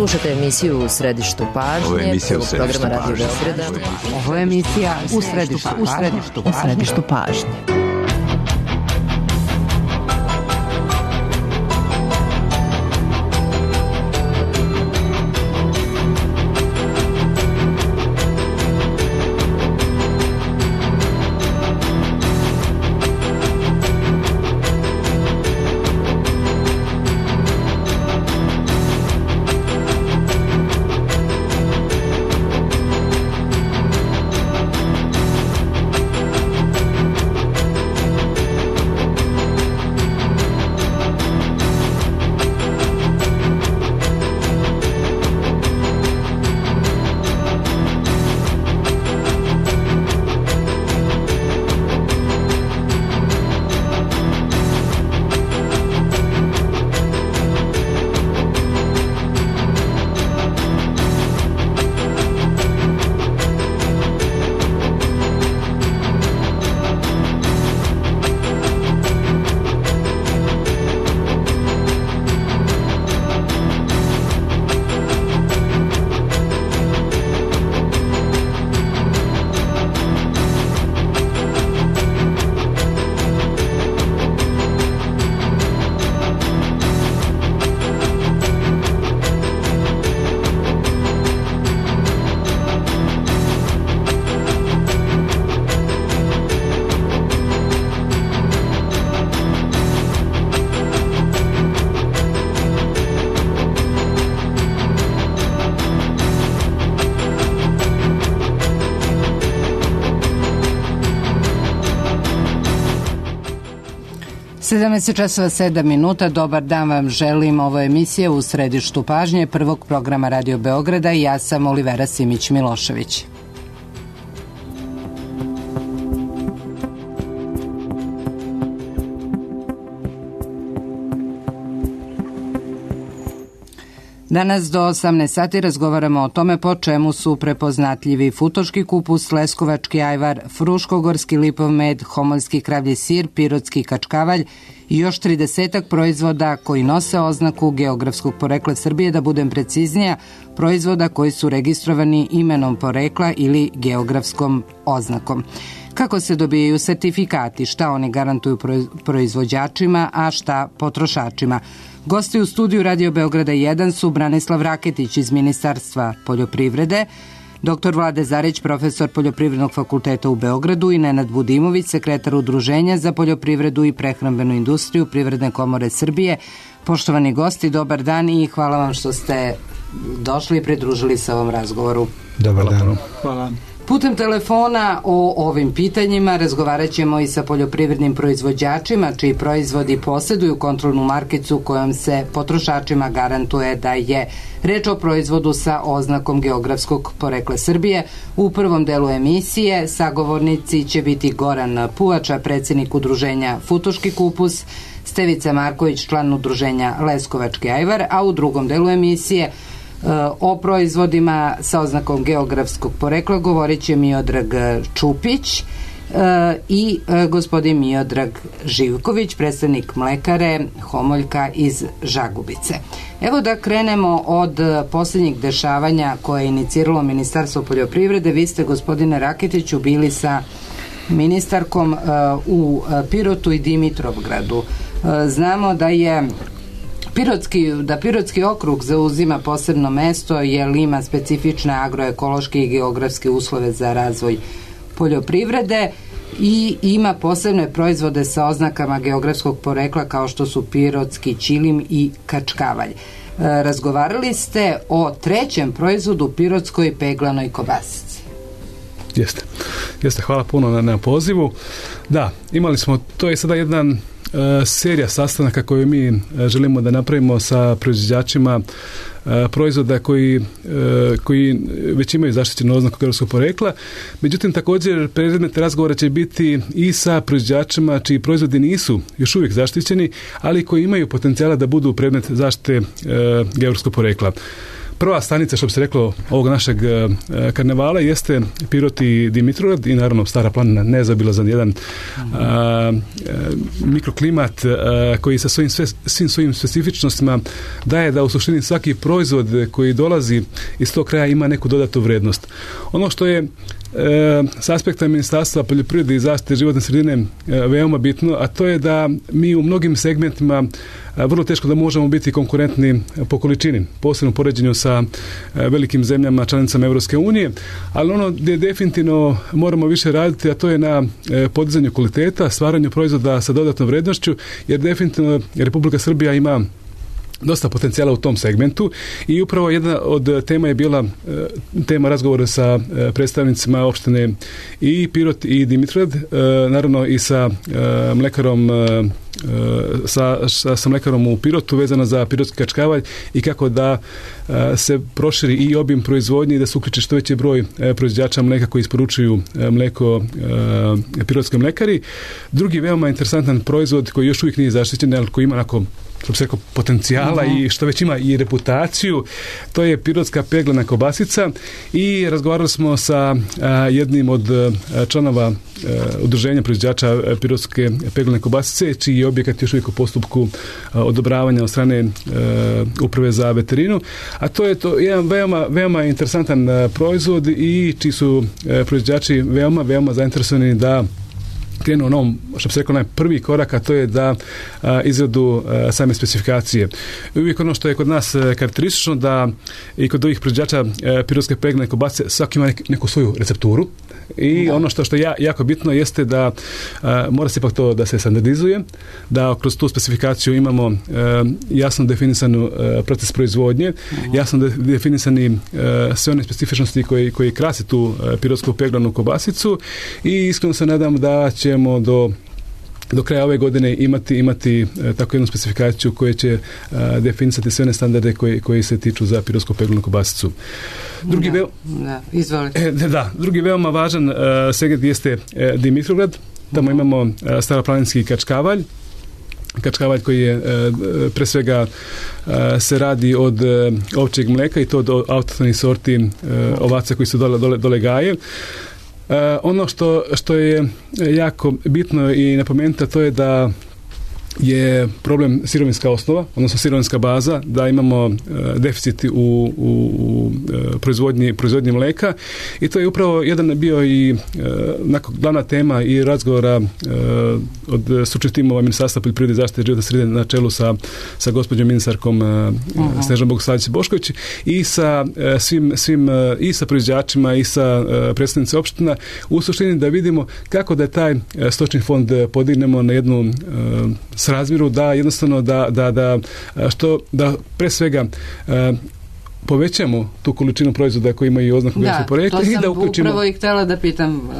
Slušate emisiju U središtu pažnje, programa Radio Beograda. Ovo je emisija U središtu pažnje. Časova 7 minuta. Dobar dan vam želim. Ovo je emisija U središtu pažnje prvog programa Radio Beograda i ja sam Olivera Simić-Milošević. Danas do 18 sati razgovaramo o tome po čemu su prepoznatljivi futoški kupus, leskovački ajvar, fruškogorski lipov med, homoljski kravlji sir, pirotski kačkavalj i još 30-ak proizvoda koji nose oznaku geografskog porekla Srbije, da budem preciznija, proizvoda koji su registrovani imenom porekla ili geografskom oznakom. Kako se dobijaju sertifikati, šta oni garantuju proizvođačima, a šta potrošačima? Gosti u studiju Radio Beograda 1 su Branislav Raketić iz Ministarstva poljoprivrede, dr. Vlade Zarić, profesor Poljoprivrednog fakulteta u Beogradu i Nenad Budimović, sekretar Udruženja za poljoprivredu i prehrambenu industriju Privredne komore Srbije. Poštovani gosti, dobar dan i hvala vam što ste došli i pridružili se ovom razgovoru. Dobar dan. Hvala. Putem telefona o ovim pitanjima razgovarat ćemo i sa poljoprivrednim proizvođačima čiji proizvodi posjeduju kontrolnu markicu kojom se potrošačima garantuje da je reč o proizvodu sa oznakom geografskog porekla Srbije. U prvom delu emisije sagovornici će biti Goran Puvača, predsjednik Udruženja Futoški kupus, Stevica Marković, član Udruženja Leskovački ajvar, a u drugom delu emisije o proizvodima sa oznakom geografskog porekla govorit će Miodrag Čupić i gospodin Miodrag Živković, predstavnik mlekare Homoljka iz Žagubice. Evo da krenemo od posljednjih dešavanja koje je iniciralo Ministarstvo poljoprivrede. Vi ste, gospodine Raketiću, bili sa ministarkom u Pirotu i Dimitrovgradu. Znamo da je Pirotski okrug zauzima posebno mesto jer ima specifične agroekološke i geografske uslove za razvoj poljoprivrede i ima posebne proizvode sa oznakama geografskog porekla kao što su pirotski ćilim i kačkavalj. Razgovarali ste o trećem proizvodu, pirotskoj peglanoj kobasici. Jeste, hvala puno na pozivu. Da, imali smo, to je sada jedan serija sastanaka koju mi želimo da napravimo sa proizvođačima proizvoda koji već imaju zaštićenu oznaku geografskog porekla. Međutim, također predmet razgovora će biti i sa proizvođačima čiji proizvodi nisu još uvijek zaštićeni, ali koji imaju potencijala da budu predmet zaštite geografskog porekla. prva stanica, što bi se reklo, ovog našeg karnevala jeste Pirot i Dimitrovgrad i naravno Stara planina, nezaobilazan jedan mikroklimat koji sa svim svojim specifičnostima daje da u suštini svaki proizvod koji dolazi iz tog kraja ima neku dodatnu vrednost. Ono što je s aspekta Ministarstva poljoprivrede i zaštite životne sredine veoma bitno, a to je da mi u mnogim segmentima vrlo teško da možemo biti konkurentni po količini, posebno u poređenju sa velikim zemljama, članicama Evropske unije, ali ono gdje definitivno moramo više raditi, a to je na podizanju kvaliteta, stvaranju proizvoda sa dodatnom vrednošću, jer definitivno Republika Srbija ima dosta potencijala u tom segmentu i upravo jedna od tema je bila tema razgovora sa predstavnicima opštine i Pirot i Dimitrovgrad, naravno i sa mlekarom sa mlekarom u Pirotu vezano za pirotski kačkavalj i kako da se proširi i obim proizvodnje i da se uključi što veći broj proizvođača mleka koji isporučuju mleko pirotske mlekari. Drugi veoma interesantan proizvod koji još uvijek nije zaštićen, ali koji ima onako potencijala i što već ima i reputaciju, to je pirotska peglana kobasica i razgovarali smo sa jednim od članova udruženja proizvođača pirotske peglane kobasice, čiji je objekat još uvijek u postupku odobravanja od strane Uprave za veterinu, a to je jedan veoma interesantan proizvod i čiji su proizvođači veoma zainteresovani da krenu onom, što bi se rekao, prvi korak, a to je da izradu same specifikacije. Uvijek ono što je kod nas karakteristično da i kod ovih proizvođača pirotske peglane kobasice svaki ima neku svoju recepturu i ono što je jako bitno jeste da mora se ipak to da se standardizuje, da kroz tu specifikaciju imamo jasno definisanu proces proizvodnje, jasno definisani sve one specifičnosti koji krase tu pirotsku peglanu kobasicu i iskreno se nadam da ćemo do kraja ove godine imati tako jednu specifikaciju koja će definisati sve one standarde koji se tiču za pirotsku peglanu kobasicu. Drugi veoma važan segment jeste Dimitrovgrad. Tamo imamo staroplaninski kačkavalj koji je pre svega se radi od ovčjeg mleka i to od autohtonih sorti ovaca koji su dole gaje. Ono što je jako bitno i napomenuti, to je da je problem sirovinska osnova, odnosno sirovinska baza, da imamo deficit u proizvodnji mleka i to je upravo jedan bio i glavna tema i razgovora od stručnih timova Ministarstva poljoprivrede i zaštite životne sredine na čelu sa gospođom ministarkom Snežanom Bogosavljević-Bošković i sa svim i sa proizvođačima i sa predstavnicima opština, u suštini da vidimo kako da taj stočni fond podignemo na jednu srazmjeru, da jednostavno da pre svega povećamo tu količinu proizvoda koji imaju oznaku geografskog porekla i da uključimo. To sam upravo i htjela da pitam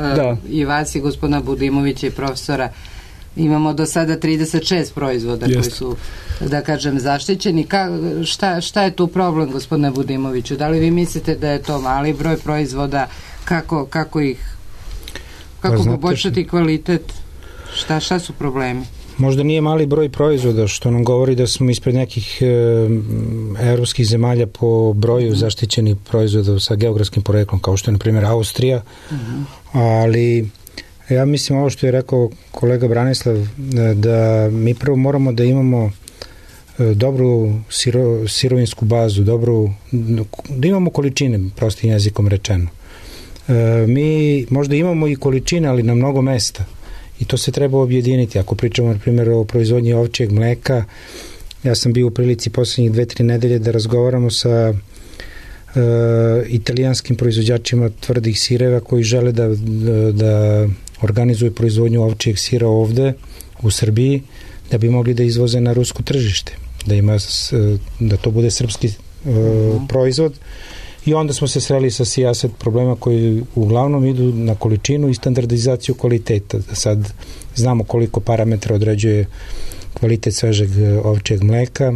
i vas i gospodina Budimovića i profesora. Imamo do sada 36 proizvoda koji su, da kažem, zaštićeni. Šta je tu problem, gospodine Budimoviću? Da li vi mislite da je to mali broj proizvoda? Kako poboljšati kvalitet? Šta su problemi? Možda nije mali broj proizvoda, što nam govori da smo ispred nekih evropskih zemalja po broju zaštićenih proizvoda sa geografskim poreklom, kao što je na primjer Austrija, ali ja mislim ovo što je rekao kolega Branislav, da mi prvo moramo da imamo dobru sirovinsku bazu, da imamo količine, prostim jezikom rečeno. Mi možda imamo i količine, ali na mnogo mesta. I to se treba objediniti. Ako pričamo, na primjer, o proizvodnji ovčjeg mleka, ja sam bio u prilici posljednjih 2-3 nedelje da razgovaramo sa italijanskim proizvođačima tvrdih sireva koji žele da organizuju proizvodnju ovčjeg sira ovde u Srbiji, da bi mogli da izvoze na rusko tržište, da to bude srpski proizvod. I onda smo se sreli sa sijaset problema koji uglavnom idu na količinu i standardizaciju kvaliteta. Sad znamo koliko parametra određuje kvalitet svežeg ovčjeg mleka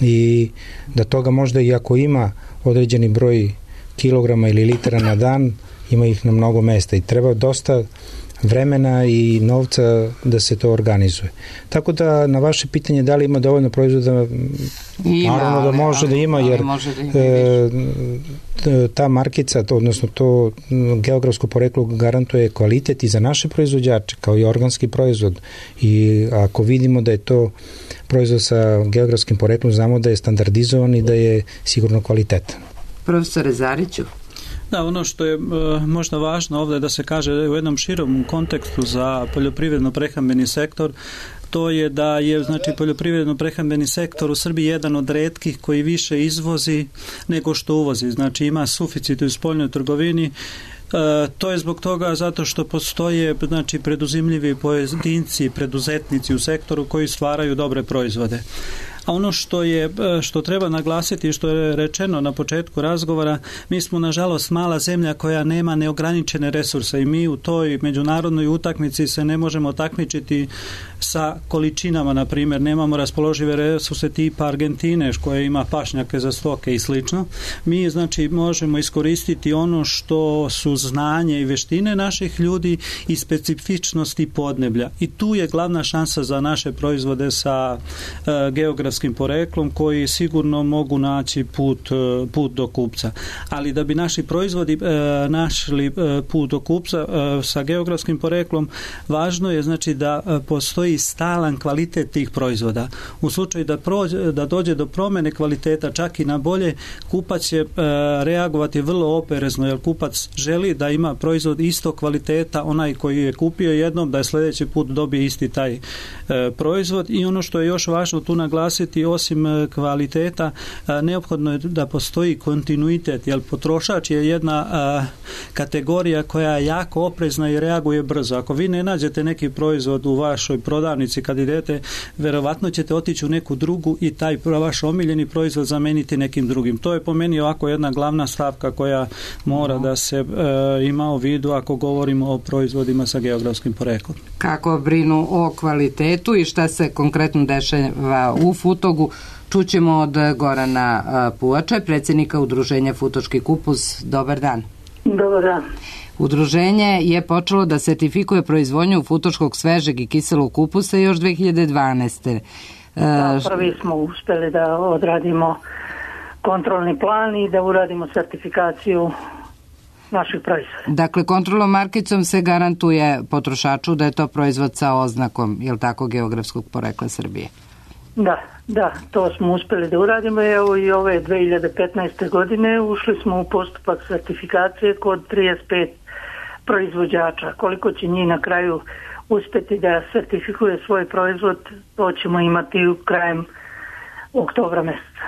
i da toga možda i ako ima određeni broj kilograma ili litara na dan, ima ih na mnogo mesta i treba dosta vremena i novca da se to organizuje. Tako da na vaše pitanje da li ima dovoljno proizvoda, naravno da može da ima, jer ta markica, odnosno to geografsko poreklo garantuje kvalitet i za naše proizvođače, kao i organski proizvod. I ako vidimo da je to proizvod sa geografskim poreklom, znamo da je standardizovan i da je sigurno kvalitetan. Profesore Zariću. Da, ono što je možda važno ovdje da se kaže u jednom širom kontekstu za poljoprivredno-prehrambeni sektor, to je da je znači poljoprivredno-prehrambeni sektor u Srbiji jedan od retkih koji više izvozi nego što uvozi. Znači ima suficit u spoljnoj trgovini. To je zbog toga zato što postoje znači preduzimljivi pojedinci, preduzetnici u sektoru koji stvaraju dobre proizvode. A ono što treba naglasiti, što je rečeno na početku razgovora, mi smo nažalost mala zemlja koja nema neograničene resurse i mi u toj međunarodnoj utakmici se ne možemo takmičiti sa količinama, na primjer, nemamo raspoložive resurse tipa Argentine koja ima pašnjake za stoke i slično. Mi znači možemo iskoristiti ono što su znanje i vještine naših ljudi i specifičnosti podneblja. I tu je glavna šansa za naše proizvode sa geografskim poreklom koji sigurno mogu naći put do kupca. Ali da bi naši proizvodi našli put do kupca sa geografskim poreklom, važno je znači da postoji stalan kvalitet tih proizvoda. U slučaju da dođe do promjene kvaliteta čak i na bolje, kupac će reagovati vrlo oprezno, jer kupac želi da ima proizvod isto kvaliteta, onaj koji je kupio jednom, da je sljedeći put dobije isti taj proizvod. I ono što je još važno tu naglasiti, osim kvaliteta, neophodno je da postoji kontinuitet, jer potrošač je jedna kategorija koja je jako oprezna i reaguje brzo. Ako vi ne nađete neki proizvod u vašoj prodavnici kad idete, verovatno ćete otići u neku drugu i taj vaš omiljeni proizvod zameniti nekim drugim. To je po meni ovako jedna glavna stavka koja mora da se ima u vidu ako govorimo o proizvodima sa geografskim poreklom. Kako brinu o kvalitetu i šta se konkretno dešava u Futogu, čućemo od Gorana Puvača, predsjednika udruženja Futoški kupus. Dobar dan. Dobar dan. Udruženje je počelo da sertifikuje proizvodnju futoškog svežeg i kiselog kupusa još 2012. Prvi smo uspjeli da odradimo kontrolni plan i da uradimo sertifikaciju naših proizvoda. Dakle, kontrolnom markicom se garantuje potrošaču da je to proizvod sa oznakom, je li tako, geografskog porekla Srbije? Da, to smo uspjeli da uradimo. Evo i ove 2015. godine ušli smo u postupak sertifikacije kod 35 proizvođača. Koliko će njih na kraju uspjeti da sertifikuje svoj proizvod, to ćemo imati u krajem oktobra mjeseca.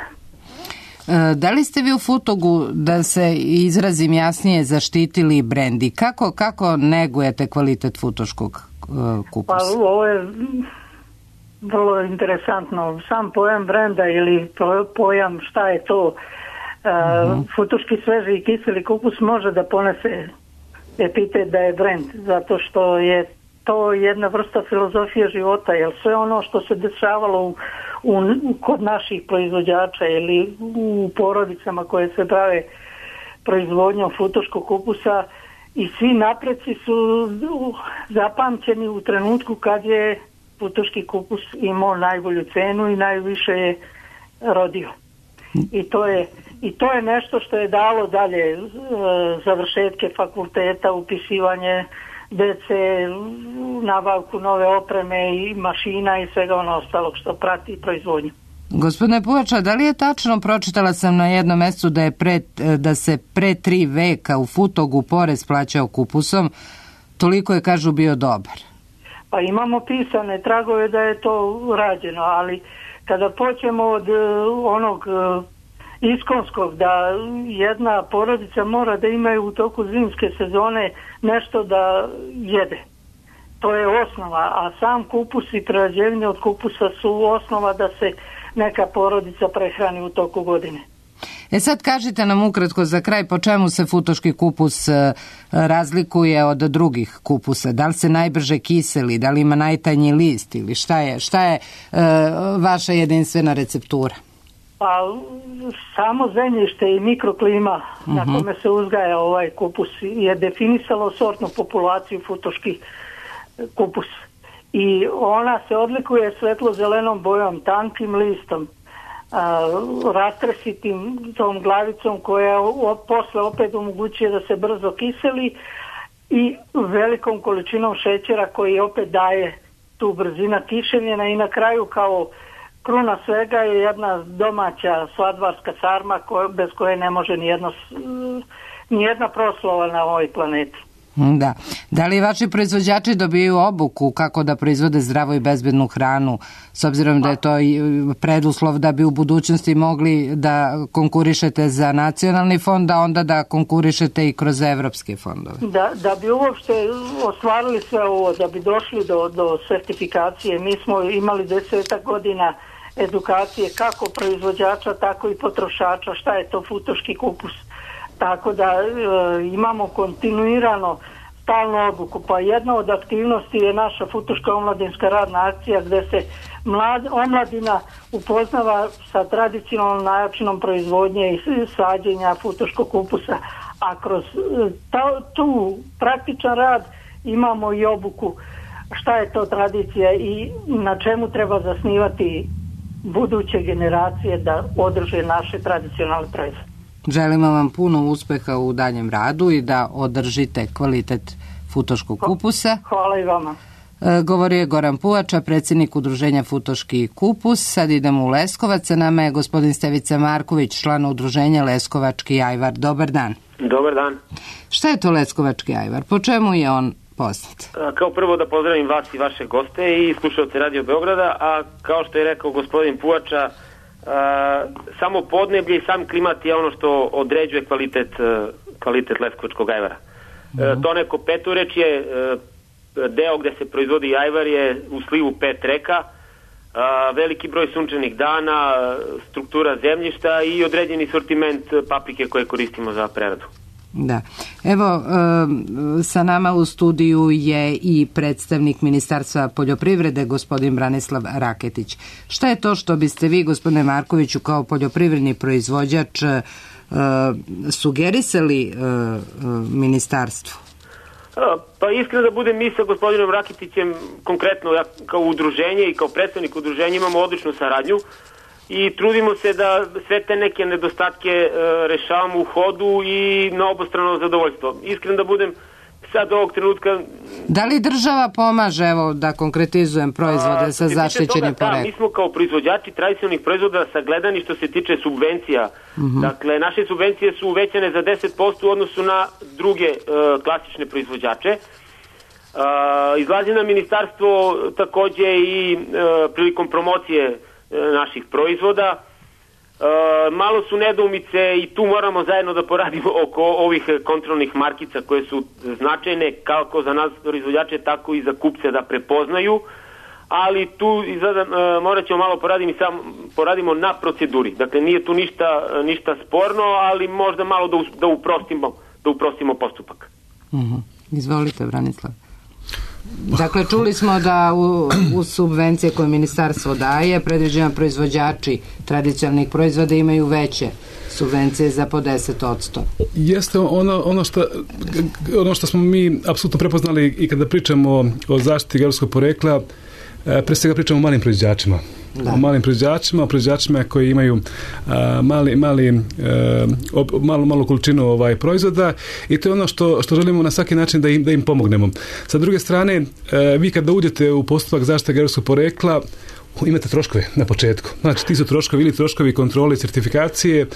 Da li ste vi u Futogu, da se izrazim jasnije, zaštitili brend i kako negujete kvalitet futoškog kupusa? Pa ovo je vrlo interesantno. Sam pojam brenda ili pojam šta je to, futoški sveži i kiseli kupus može da ponese epitet da je brend, zato što je to jedna vrsta filozofije života, jer sve ono što se dešavalo kod naših proizvođača ili u porodicama koje se bave proizvodnjom futoškog kupusa i svi napreci su zapamćeni u trenutku kad je futoški kupus imao najbolju cenu i najviše je rodio. I to je nešto što je dalo dalje završetke fakulteta, upisivanje dece, nabavku nove opreme i mašina i svega ono ostalog što prati proizvodnju. Gospodine Puvača, da li je tačno, pročitala sam na jednom mjestu da se pre 3 veka u Futogu porez plaćao kupusom, toliko je, kažu, bio dobar. Pa imamo pisane tragove da je to rađeno, ali kada počnemo od onog iskonskog, da jedna porodica mora da imaju u toku zimske sezone nešto da jede. To je osnova, a sam kupus i prerađevine od kupusa su osnova da se neka porodica prehrani u toku godine. Sad kažite nam ukratko za kraj po čemu se futoški kupus razlikuje od drugih kupusa. Da li se najbrže kiseli, da li ima najtanji list ili šta je vaša jedinstvena receptura? Pa samo zemljište i mikroklima na kome se uzgaja ovaj kupus je definisalo sortnu populaciju futoški kupus. I ona se odlikuje svetlo-zelenom bojom, tankim listom, rastresitim tom glavicom koja posle opet omogućuje da se brzo kiseli i velikom količinom šećera koji opet daje tu brzina kišenja i na kraju kao kruna svega je jedna domaća sladvarska sarma bez koje ne može nijedna proslava na ovoj planeti. Da. Da li vaši proizvođači dobiju obuku kako da proizvode zdravu i bezbednu hranu, s obzirom da je to preduslov da bi u budućnosti mogli da konkurišete za nacionalni fond, a onda da konkurišete i kroz evropske fondove? Da bi uopšte ostvarili sve ovo, da bi došli do sertifikacije, mi smo imali 10 godina edukacije kako proizvođača, tako i potrošača, šta je to futoški kupus. Tako da imamo kontinuirano stalnu obuku. Pa jedna od aktivnosti je naša futoška omladinska radna akcija gdje se omladina upoznava sa tradicionalnom načinom proizvodnje i sađenja futoškog kupusa. A kroz tu praktičan rad imamo i obuku šta je to tradicija i na čemu treba zasnivati buduće generacije da održe naše tradicionalne proizvode. Želimo vam puno uspeha u daljem radu i da održite kvalitet futoškog kupusa. Hvala i vama. Govorio je Goran Puvača, predsjednik udruženja Futoški kupus. Sad idemo u Leskovac, sa nama je gospodin Stevica Marković, član udruženja Leskovački ajvar. Dobar dan. Dobar dan. Šta je to Leskovački ajvar? Po čemu je on poznat? Kao prvo da pozdravim vas i vaše goste i slušalce Radio Beograda, a kao što je rekao gospodin Puvača, samo podneblje i sam klimat je ono što određuje kvalitet leskovačkog ajvara. To neko petorečje, deo gde se proizvodi ajvar je u slivu 5 reka, veliki broj sunčanih dana, struktura zemljišta i određeni sortiment paprike koje koristimo za preradu. Da. Evo, sa nama u studiju je i predstavnik Ministarstva poljoprivrede, gospodin Branislav Raketić. Šta je to što biste vi, gospodine Markoviću, kao poljoprivredni proizvođač sugerisali ministarstvu? Pa iskreno da budem, mi sa gospodinom Raketićem, konkretno ja kao udruženje i kao predstavnik udruženja imamo odličnu saradnju i trudimo se da sve te neke nedostatke rešavamo u hodu i na obostrano zadovoljstvo. Iskreno da budem, sad ovog trenutka... Da li država pomaže, evo da konkretizujem, proizvode sa zaštićenim poreklom? Mi smo kao proizvođači tradicionalnih proizvoda sagledani što se tiče subvencija. Dakle, naše subvencije su uvećane za 10% u odnosu na druge klasične proizvođače. Izlazi na ministarstvo takođe i prilikom promocije naših proizvoda. Malo su nedoumice i tu moramo zajedno da poradimo oko ovih kontrolnih markica koje su značajne kako za nas proizvođače, tako i za kupce da prepoznaju, ali tu morat ćemo malo poradimo na proceduri. Dakle, nije tu ništa sporno, ali možda malo da uprostimo postupak. Izvolite, Branislav. Dakle, čuli smo da u subvencije koje ministarstvo daje, predviđeno proizvođači tradicionalnih proizvoda imaju veće subvencije za po 10%. Jeste ono što smo mi apsolutno prepoznali i kada pričamo o zaštiti geografskog porekla, pre svega pričamo o malim proizvođačima. O malim proizvođačima koji imaju malu količinu proizvoda i to je ono što želimo na svaki način da im pomognemo. Sa druge strane, vi kada uđete u postupak zaštite geografskog porekla, imate troškove na početku. Znači, ti su troškovi ili troškovi kontrole, certifikacije,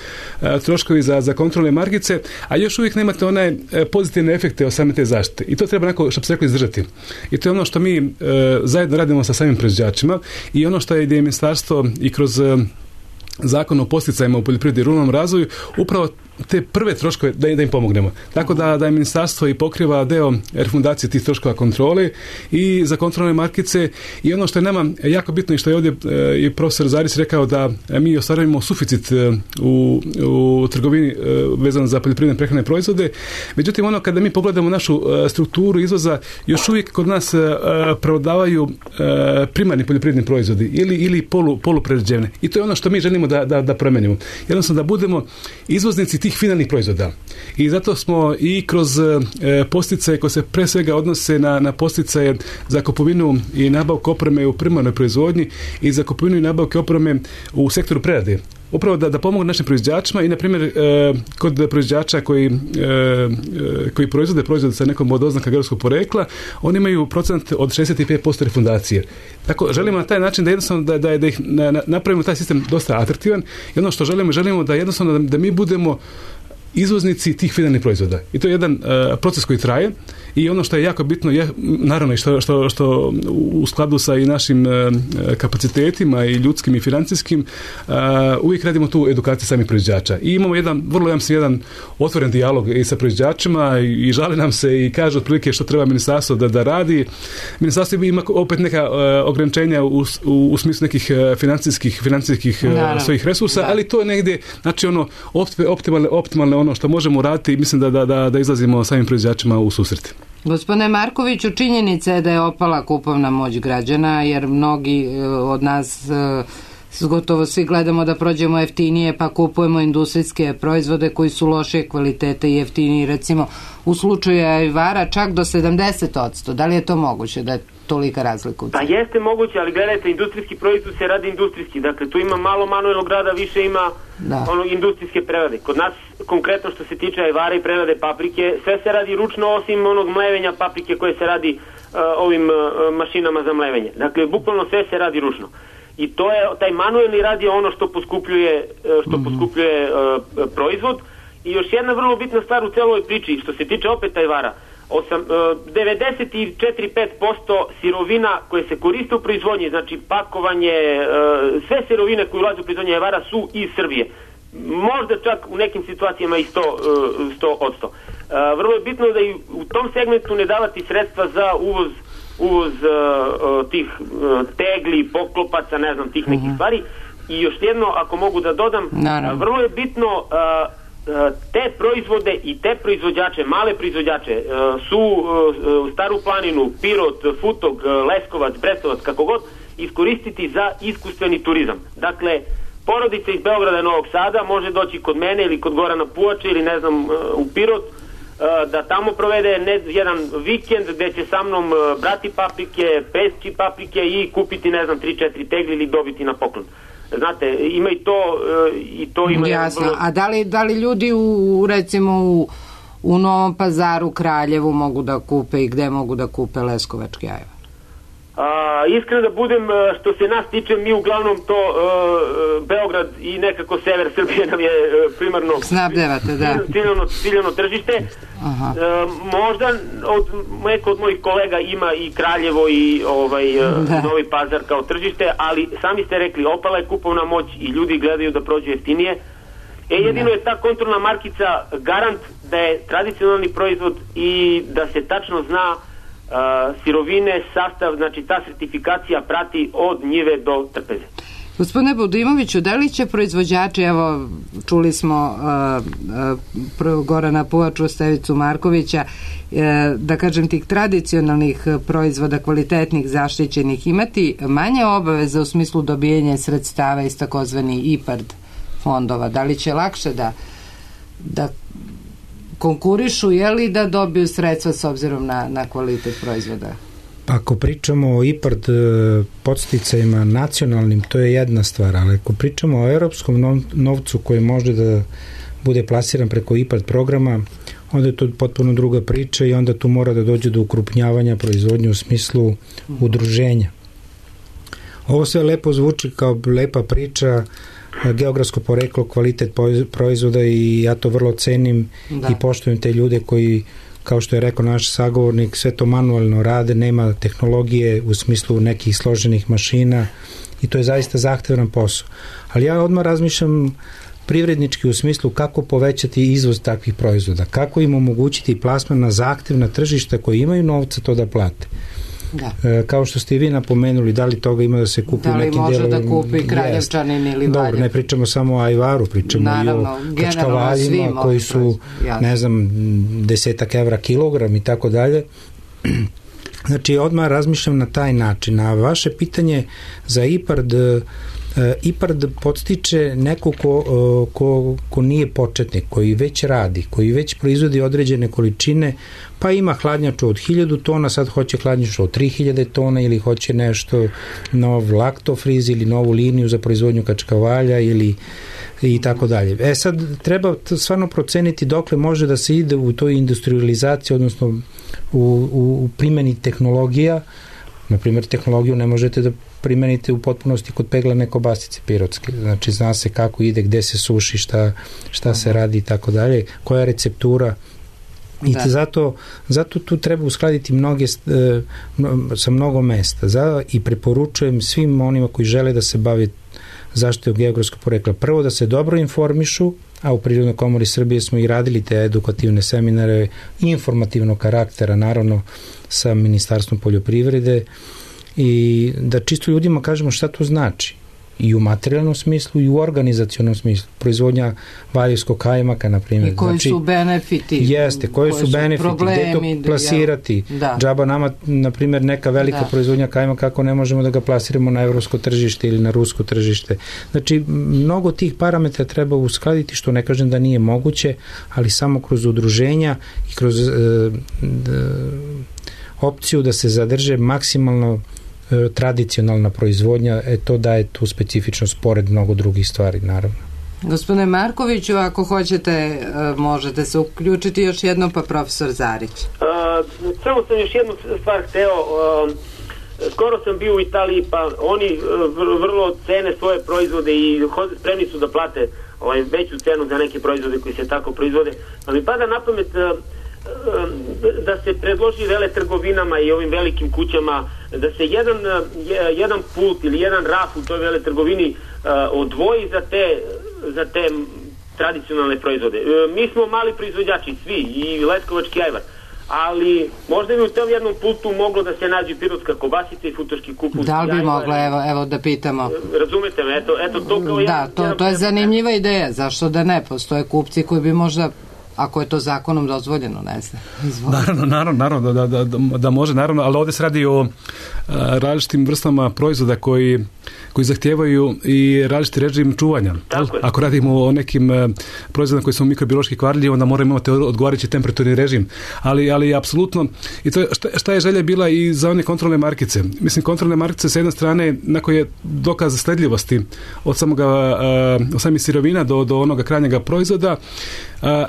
troškovi za kontrolne markice, a još uvijek nemate one pozitivne efekte od same te zaštite. I to treba onako, što bi se reklo, izdržati. I to je ono što mi zajedno radimo sa samim proizvođačima i ono što je ministarstvo i kroz Zakon o podsticajima u poljoprivredi i ruralnom razvoju upravo te prve troškove da im pomognemo. Tako da je ministarstvo i pokriva deo refundacije tih troškova kontrole i za kontrolne markice, i ono što je nama jako bitno i što je ovdje i profesor Zarić rekao, da mi ostvarujemo suficit u trgovini vezano za poljoprivredne prehrane proizvode. Međutim, ono kada mi pogledamo našu strukturu izvoza, još uvijek kod nas prevladavaju primarni poljoprivredni proizvodi ili poluprerađevne. I to je ono što mi želimo da promenimo. Jednostavno da budemo izvoznici tih finalnih proizvoda. I zato smo i kroz posticaje koje se pre svega odnose na posticaje za kupovinu i nabavku opreme u primarnoj proizvodnji i za kupovinu i nabavku opreme u sektoru prerade. Upravo da pomogu našim proizvođačima i, na primjer, kod proizvođača koji proizvode sa nekom od oznaka geografskog porekla, oni imaju procent od 65% refundacije. Tako, želimo na taj način da jednostavno da ih napravimo taj sistem dosta atraktivan, i ono što želimo da jednostavno da mi budemo izvoznici tih finalnih proizvoda. I to je jedan proces koji traje, i ono što je jako bitno je, naravno, i što u skladu sa i našim kapacitetima i ljudskim i financijskim, uvijek radimo tu edukaciju samih proizvođača. I imamo jedan otvoren dijalog i sa proizvođačima, i žale nam se i kaže otprilike što treba ministarstvo da radi. Ministarstvo ima opet neka ograničenja u smislu nekih financijskih svojih resursa, ali to je negdje, znači ono optimalne ono što možemo raditi, i mislim da izlazimo samim proizvođačima u susret. Gospodine Markoviću, činjenica je da je opala kupovna moć građana, jer mnogi od nas gotovo svi gledamo da prođemo jeftinije, pa kupujemo industrijske proizvode koji su loše kvalitete i jeftiniji, recimo u slučaju ajvara čak do 70%. Da li je to moguće da je tolika razlika? Pa jeste moguće, ali gledajte, industrijski proizvod se radi industrijski, dakle tu ima malo manuelnog rada, više ima industrijske prerade. Kod nas, konkretno što se tiče ajvara i prerade paprike, sve se radi ručno, osim onog mlevenja paprike koje se radi ovim mašinama za mlevenje. Dakle, bukvalno sve se radi ručno. I to je, taj manuelni rad je ono što poskupljuje proizvod. I još jedna vrlo bitna stvar u celoj priči, što se tiče opet ajvara, 94-5% sirovina koje se koriste u proizvodnji, znači pakovanje, sve sirovine koje ulaze u proizvodnje ajvara su iz Srbije. Možda čak u nekim situacijama i 100%. Vrlo je bitno da i u tom segmentu ne davati sredstva za uvoz tih tegli, poklopaca, ne znam, tih nekih stvari. I još jedno, ako mogu da dodam, vrlo je bitno te proizvode i te proizvođače, male proizvođače, su Staru planinu, Pirot, Futog, Leskovac, Brestovac, kako god, iskoristiti za iskustveni turizam. Dakle, porodica iz Beograda i Novog Sada može doći kod mene ili kod Gorana Pujače ili ne znam u Pirot, da tamo provede jedan vikend gde će sa mnom brati paprike, peći paprike i kupiti, ne znam, 3-4 tegli ili dobiti na poklon. Znate, ima i to ima... Jasno, a da li ljudi recimo u Novom Pazaru, Kraljevu mogu da kupe i gde mogu da kupe leskovački ajvar? Iskreno da budem, što se nas tiče, mi uglavnom to Beograd i nekako sever Srbije nam je primarno snabdevate, da, ciljano tržište. Možda neko od mojih kolega ima i Kraljevo i Novi Pazar kao tržište, ali sami ste rekli, opala je kupovna moć i ljudi gledaju da prođu jeftinije. Jedino je ta kontrolna markica garant da je tradicionalni proizvod i da se tačno zna sirovine, sastav, znači ta sertifikacija prati od njive do trpeze. Gospodine Budimoviću, da li će proizvođači, evo čuli smo Gorana Pujaču, Stevicu Markovića, da kažem tih tradicionalnih proizvoda, kvalitetnih, zaštićenih, imati manje obaveze u smislu dobijanja sredstava iz takozvani IPARD fondova? Da li će lakše da konkurišu, je li da dobiju sredstva s obzirom na kvalitet proizvoda? Ako pričamo o IPARD podsticajima nacionalnim, to je jedna stvar, ali ako pričamo o europskom novcu koji može da bude plasiran preko IPARD programa, onda je to potpuno druga priča i onda tu mora da dođe do ukrupnjavanja proizvodnje u smislu udruženja. Ovo sve lepo zvuči kao lepa priča, geografsko poreklo, kvalitet proizvoda i ja to vrlo cenim i poštujem te ljude koji, kao što je rekao naš sagovornik, sve to manuelno rade, nema tehnologije u smislu nekih složenih mašina i to je zaista zahtevan posao. Ali ja odmah razmišljam privrednički u smislu kako povećati izvoz takvih proizvoda, kako im omogućiti plasman na zahtevna tržišta koji imaju novca to da plate. Da. Kao što ste i vi napomenuli, da li toga ima da se kupi u nekim delovima. Da li može da kupi Kraljevčanin ili Valjev? Dobro, ne pričamo samo o ajvaru, pričamo i o kačkavaljima koji su, ne znam, 10 evra kilogram i tako dalje. Znači, odmah razmišljam na taj način. A vaše pitanje za IPARD podstiče neko ko nije početnik, koji već radi, koji već proizvodi određene količine, pa ima hladnjaču od 1000 tona, sad hoće hladnjaču od 3000 tona ili hoće nešto nov laktofriz ili novu liniju za proizvodnju kačkavalja ili i tako dalje. Sad treba stvarno proceniti dokle može da se ide u toj industrializaciji, odnosno u primjeni tehnologija. Na primjer, tehnologiju ne možete da primenite u potpunosti kod peglane kobasice pirotske. Znači, zna se kako ide, gde se suši, šta se radi i tako dalje, koja je receptura. I zato tu treba uskladiti sa mnogo mesta. I preporučujem svim onima koji žele da se bave zaštitom geografskog porekla. Prvo da se dobro informišu, a u Prirodnoj komori Srbije smo i radili te edukativne seminare informativnog karaktera, naravno sa Ministarstvom poljoprivrede, i da čisto ljudima kažemo šta to znači i u materijalnom smislu i u organizacionom smislu. Proizvodnja valjevskog kajmaka, na primjer. I koji su benefiti. Jeste, koji su benefiti, gde to plasirati. Džaba nama, na primjer, neka velika proizvodnja kajmaka, kako ne možemo da ga plasiramo na evropsko tržište ili na rusko tržište. Znači, mnogo tih parametra treba uskladiti, što ne kažem da nije moguće, ali samo kroz udruženja i kroz opciju da se zadrže maksimalno tradicionalna proizvodnja, to daje tu specifičnost pored mnogo drugih stvari, naravno. Gospodine Markoviću, ako hoćete, možete se uključiti još jednom, pa profesor Zarić. Samo sam još jednu stvar hteo. Skoro sam bio u Italiji, pa oni vrlo cene svoje proizvode i spremni su da plate veću cenu za neke proizvode koji se tako proizvode. Pa mi pada na pamet da se predloži veletrgovinama i ovim velikim kućama da se jedan pult ili jedan raf u toj veletrgovini odvoji za te tradicionalne proizvode. Mi smo mali proizvođači, svi, i leskovački ajvar, ali možda bi u tom jednom pultu moglo da se nađe pirotska kobasica i futoški kupus. Da li bi moglo, evo da pitamo. Razumete me, eto to kao jedan... Da, to je zanimljiva ideja, zašto da ne, postoje kupci koji bi možda, ako je to zakonom dozvoljeno, ne znam. Naravno da može, naravno, ali ovdje se radi o različitim vrstama proizvoda koji zahtijevaju i različiti režim čuvanja. Ako radimo o nekim proizvodima koji su mikrobiološki kvarljivi, onda moramo imati odgovarajući temperaturni režim. Ali apsolutno, i to je, šta je želja bila i za one kontrolne markice? Mislim, kontrolne markice sa jedne strane, na koje je dokaz sledljivosti od samih sirovina do onoga krajnjega proizvoda.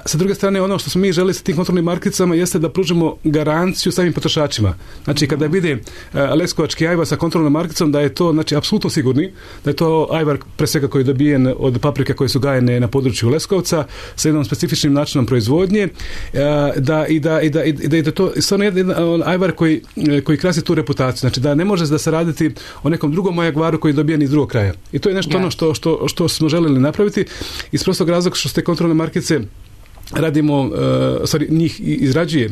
Sa druge strane, ono što smo mi želi sa tim kontrolnim markicama jeste da pružimo garanciju samim potrošačima. Znači, kada vide leskovački ajvar sa kontrolnom markicom, da je to, znači, apsolutno sigurni, da je to ajvar pre svega koji je dobijen od paprike koje su gajene na području Leskovca sa jednom specifičnim načinom proizvodnje, da je to stvarno jedan ajvar koji krasi tu reputaciju. Znači, da ne može da se raditi o nekom drugom ajvaru koji je dobijen iz drugog kraja. I to je nešto ono što smo želeli napraviti iz prostog razloga što ste kontrolne markice radimo, njih izrađuje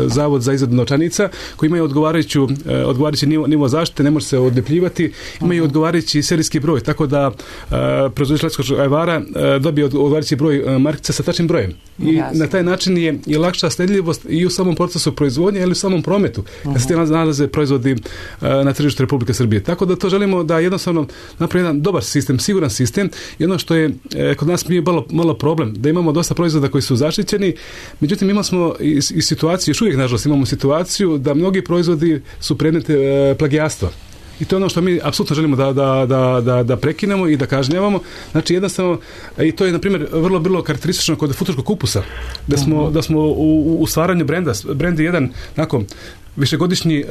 Zavod za izradu novčanica koji imaju odgovarajući nivo zaštite, ne može se odlepljivati, imaju odgovarajući serijski broj, tako da proizvođač leskovačkog ajvara dobije odgovarajući broj markica sa tačnim brojem. I na taj način je lakša sledljivost i u samom procesu proizvodnje, ali u samom prometu, kad se nalaze proizvodi na tržištu Republike Srbije. Tako da to želimo da jednostavno napravi jedan dobar sistem, siguran sistem, i ono što je kod nas bio malo problem, da imamo dosta proizvoda koji su zaštićeni, međutim imali smo i situaciju, još uvijek nažalost imamo situaciju da mnogi proizvodi su predmet plagijastva. I to je ono što mi apsolutno želimo da prekinemo i da kažnjavamo. Znači jednostavno, i to je na primjer vrlo karakteristično kod futoškog kupusa, da smo u stvaranju brend je jedan nakon višegodišnji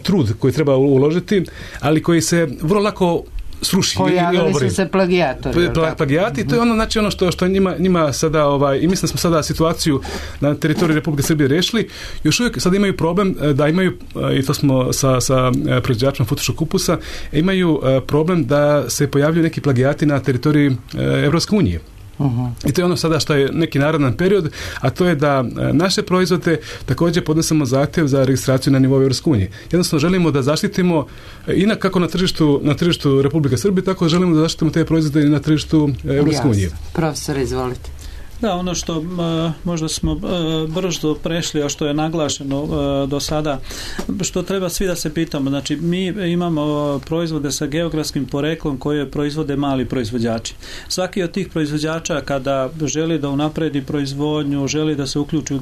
trud koji treba uložiti, ali koji se vrlo lako sruši. Pojavili su se plagijatori. Plagijati, to je ono, znači ono što njima sada, i mislim da smo sada situaciju na teritoriju Republike Srbije rešili, još uvijek sada imaju problem da imaju, i to smo sa proizvođačima futoškog kupusa, imaju problem da se pojavljuju neki plagijati na teritoriji Evropske unije. I to je ono sada što je neki naredan period, a to je da naše proizvode također podnesemo zahtjev za registraciju na nivou Evropske unije. Jednostavno želimo da zaštitimo kako na tržištu Republike Srbije, tako želimo da zaštitimo te proizvode i na tržištu Evropske unije. Profesor, izvolite. Da, ono što možda smo brzo prešli, a što je naglašeno do sada, što treba svi da se pitamo. Znači, mi imamo proizvode sa geografskim poreklom koje proizvode mali proizvođači. Svaki od tih proizvođača kada želi da unapredi proizvodnju, želi da se uključi u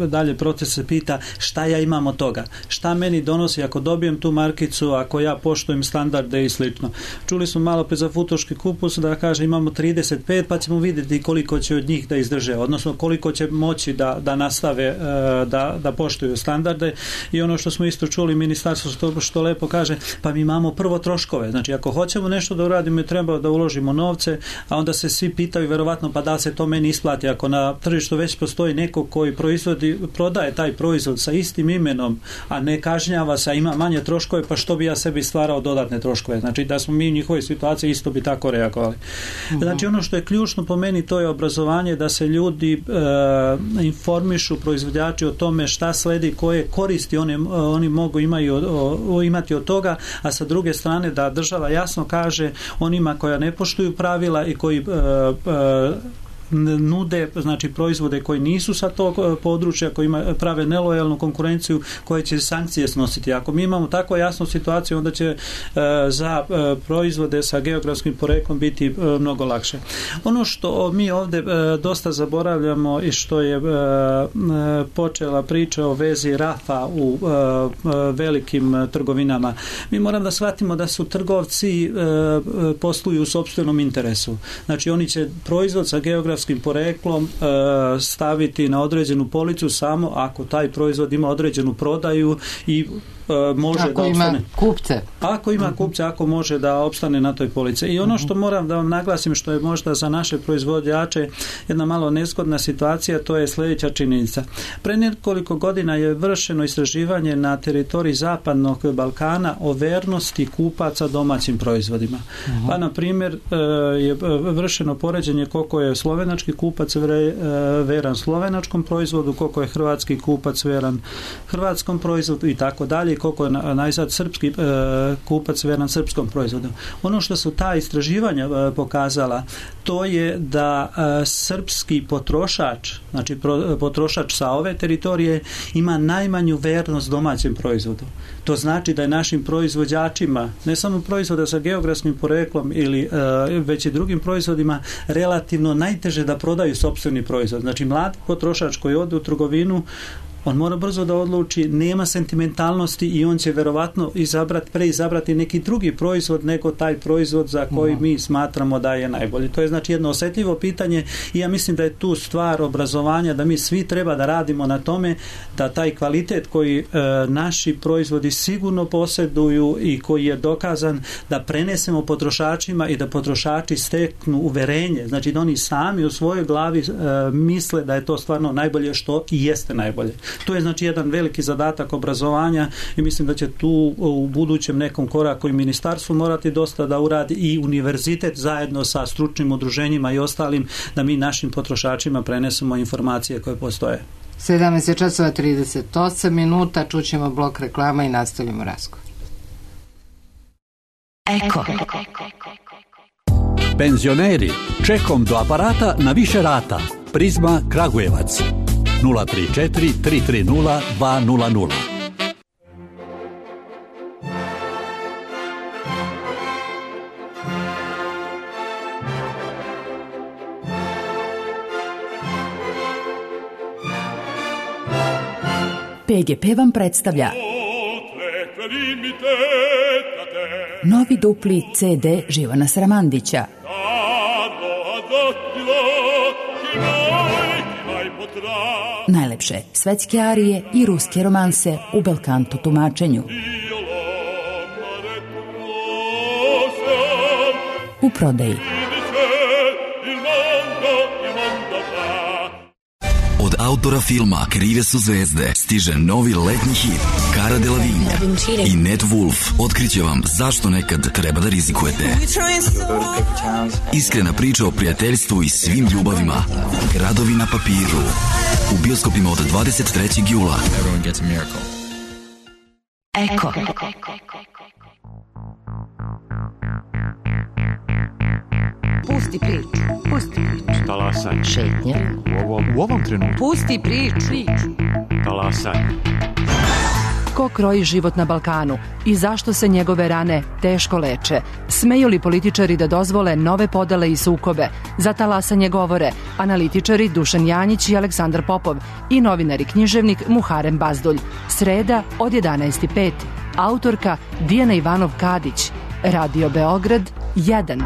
dalje proces, se pita šta ja imam od toga, šta meni donosi ako dobijem tu markicu, ako ja poštujem standarde i slično. Čuli smo malo pre za futoški kupus da kaže imamo 35, pa ćemo vidjeti koliko će od njih da izdrže, odnosno koliko će moći da nastave da poštuju standarde. I ono što smo isto čuli, ministarstvo što lepo kaže, pa mi imamo prvo troškove. Znači, ako hoćemo nešto da uradimo, treba da uložimo novce, a onda se svi pitaju verovatno pa da se to meni isplati. Ako na tržištu već postoji neko koji prodaje taj proizvod sa istim imenom, a ne kažnjava se, a ima manje troškove, pa što bi ja sebi stvarao dodatne troškove? Znači, da smo mi u njihovoj situaciji isto bi tako reagovali. Znači, ono što je ključno po meni, to je obrazovanje, da se ljudi informišu proizvođači o tome šta sledi, koje koristi oni mogu imati od toga, a sa druge strane da država jasno kaže onima koja ne poštuju pravila i koji nude, znači proizvode koji nisu sa tog područja, koji prave nelojalnu konkurenciju, koje će sankcije snositi. Ako mi imamo tako jasnu situaciju, onda će za proizvode sa geografskim poreklom biti mnogo lakše. Ono što mi ovdje dosta zaboravljamo i što je počela priča o vezi RAF-a u velikim trgovinama. Mi moram da shvatimo da su trgovci posluju u sopstvenom interesu. Znači, oni će proizvod sa geografskim poreklom staviti na određenu policu samo ako taj proizvod ima određenu prodaju i može ako da opstane. Ima kupce. Ako ima kupce, ako može da opstane na toj polici. I ono što moram da vam naglasim, što je možda za naše proizvođače jedna malo nezgodna situacija, to je sljedeća činjenica. Pre nekoliko godina je vršeno istraživanje na teritoriji Zapadnog Balkana o vernosti kupaca domaćim proizvodima. Pa, na primjer, je vršeno poređenje koliko je slovenački kupac veran slovenačkom proizvodu, koliko je hrvatski kupac veran hrvatskom proizvodu i tako dalje, koliko je najzad srpski kupac veran srpskom proizvodu. Ono što su ta istraživanja pokazala, to je da srpski potrošač, znači potrošač sa ove teritorije, ima najmanju vernost domaćem proizvodu. To znači da je našim proizvođačima, ne samo proizvoda sa geografskim poreklom ili već i drugim proizvodima, relativno najteže da prodaju sopstveni proizvod. Znači, mlad potrošač koji ode u trgovinu, on mora brzo da odluči, nema sentimentalnosti i on će verovatno preizabrati neki drugi proizvod nego taj proizvod za koji mi smatramo da je najbolji. To je znači jedno osjetljivo pitanje i ja mislim da je tu stvar obrazovanja, da mi svi treba da radimo na tome da taj kvalitet koji naši proizvodi sigurno posjeduju i koji je dokazan, da prenesemo potrošačima i da potrošači steknu uverenje. Znači da oni sami u svojoj glavi misle da je to stvarno najbolje, što i jeste najbolje. To je znači jedan veliki zadatak obrazovanja i mislim da će tu u budućem nekom koraku i ministarstvo morati dosta da uradi i univerzitet zajedno sa stručnim udruženjima i ostalim, da mi našim potrošačima prenesemo informacije koje postoje. 17:38, čućemo blok reklama i nastavljamo razgovor. Eko. Penzioneri, čekom do aparata na više rata. Prizma Kragujevac 034 330 200. PGP vam predstavlja novi dupli CD Živana Sramandića. Najlepše svetske arije i ruske romanse u belkanto tumačenju. u prodaji. Od autora filma Krive su zvezde stiže novi letnji hit Cara Delevingne i Ned Wolf otkriće vam zašto nekad treba da rizikujete. Iskrena priča o prijateljstvu i svim ljubavima. Gradovi na papiru. U bioskopima od 23. jula. Eko. Pusti priču. Talasaj. Šetnja. U ovom trenutku. Pusti priču. Talasaj. Ko kroji život na Balkanu i zašto se njegove rane teško leče? Smeju li političari da dozvole nove podele i sukobe? Za talasanje govore analitičari Dušan Janjić i Aleksandar Popov i novinar i književnik Muharem Bazdulj. Sreda od 11:05. Autorka Dijana Ivanov-Kadić. Radio Beograd 1.